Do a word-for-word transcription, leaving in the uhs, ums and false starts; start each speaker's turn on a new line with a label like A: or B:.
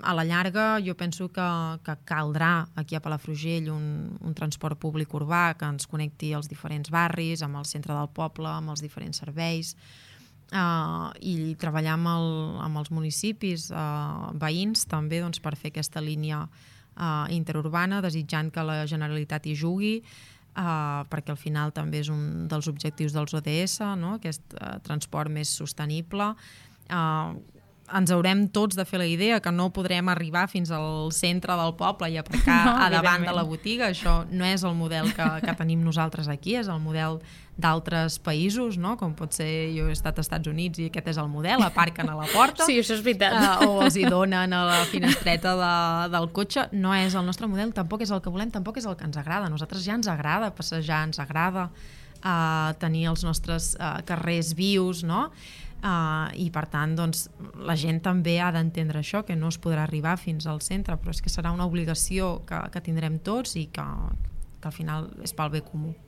A: a la llarga jo penso que, que caldrà aquí a Palafrugell un, un transport públic urbà que ens connecti als diferents barris, amb el centre del poble, amb els diferents serveis, uh, i treballar amb, el, amb els municipis uh, veïns també doncs, per fer aquesta línia uh, interurbana, desitjant que la Generalitat hi jugui, Uh, perquè al final també és un dels objectius dels O D S, no? Aquest uh, transport més sostenible. Uh, ens haurem tots de fer la idea que no podrem arribar fins al centre del poble i aparcar no, a davant de la botiga. Això no és el model que, que tenim nosaltres aquí, és el model d'altres països, no? Com pot ser, jo he estat als Estats Units i aquest és el model, aparquen a la porta.
B: Sí, això és veritat.
A: Uh, o els hi donen a la finestreta de, del cotxe. No és el nostre model, tampoc és el que volem, tampoc és el que ens agrada. A nosaltres ja ens agrada passejar, ens agrada uh, tenir els nostres uh, carrers vius, no? Uh, i per tant doncs, la gent també ha d'entendre això, que no es podrà arribar fins al centre, però és que serà una obligació que, que tindrem tots i que, que al final és pel bé comú.